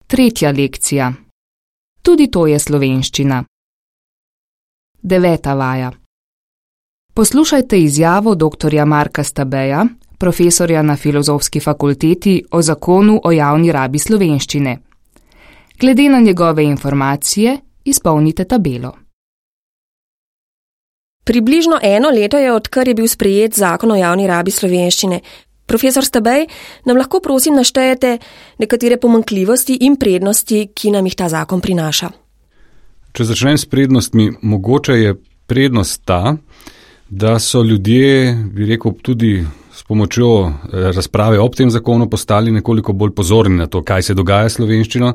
Tretja lekcija. Tudi to je slovenščina. 9. vaja. Poslušajte izjavo dr. Marka Stabeja, profesorja na Filozofski fakulteti, o zakonu o javni rabi slovenščine. Glede na njegove informacije izpolnite tabelo. Približno 1 leto je, odkar je bil sprejet zakon o javni rabi slovenščine. Profesor Stabej, nam lahko prosim naštejete nekatere pomanjkljivosti in prednosti, ki nam jih ta zakon prinaša? Če začnem s prednostmi, mogoče je prednost ta, da so ljudje, bi rekel, tudi s pomočjo razprave ob tem zakonu postali nekoliko bolj pozorni na to, kaj se dogaja s slovenščino,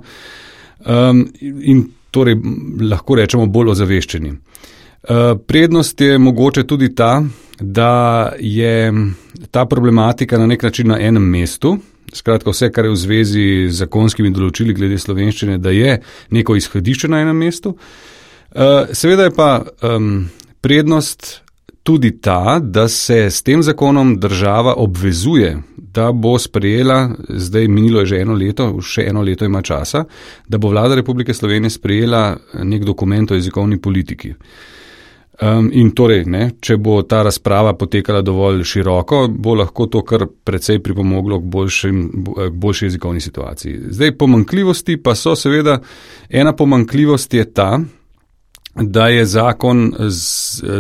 in torej lahko rečemo bolj ozaveščeni. Prednost je mogoče tudi ta, da je ta problematika na nek način na enem mestu, skratka vse, kar je v zvezi z zakonskimi določili glede slovenščine, da je neko izhodišče na enem mestu. Seveda je pa prednost tudi ta, da se s tem zakonom država obvezuje, da bo sprejela, zdaj minilo je že 1 leto, še 1 leto ima časa, da bo Vlada Republike Slovenije sprejela nek dokument o jezikovni politiki. In torej, če bo ta razprava potekala dovolj široko, bo lahko to kar precej pripomoglo k boljši jezikovni situaciji. Zdaj, pomanjkljivosti pa so seveda, ena pomanjkljivost je ta, da je zakon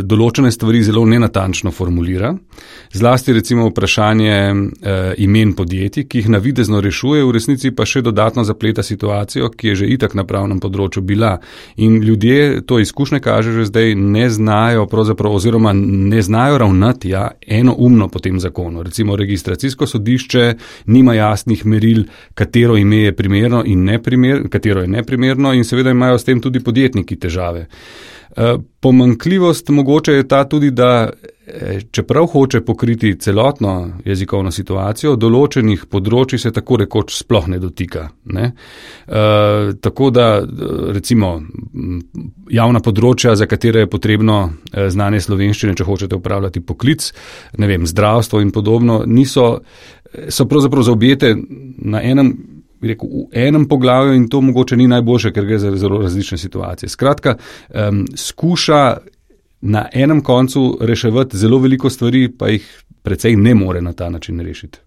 določene stvari zelo nenatančno formulira, zlasti recimo vprašanje imen podjetij, ki jih navidezno rešuje, v resnici pa še dodatno zapleta situacijo, ki je že itak na pravnem področju bila. In ljudje, to izkušnje kaže že zdaj, ne znajo pravzaprav oziroma ne znajo ravnati enoumno po tem zakonu. Recimo registracijsko sodišče nima jasnih meril, katero ime je primerno in katero je neprimerno, in seveda imajo s tem tudi podjetniki težave. Pomanjkljivost mogoče je ta tudi, da čeprav hoče pokriti celotno jezikovno situacijo, določenih področij se tako rekoč sploh ne dotika. Tako da recimo javna področja, za katere je potrebno znanje slovenščine, če hočete upravljati poklic, zdravstvo in podobno, so pravzaprav zaobjete v enem poglavju, in to mogoče ni najboljše, ker gre za zelo različne situacije. Skratka, skuša na enem koncu reševati zelo veliko stvari, pa jih precej ne more na ta način rešiti.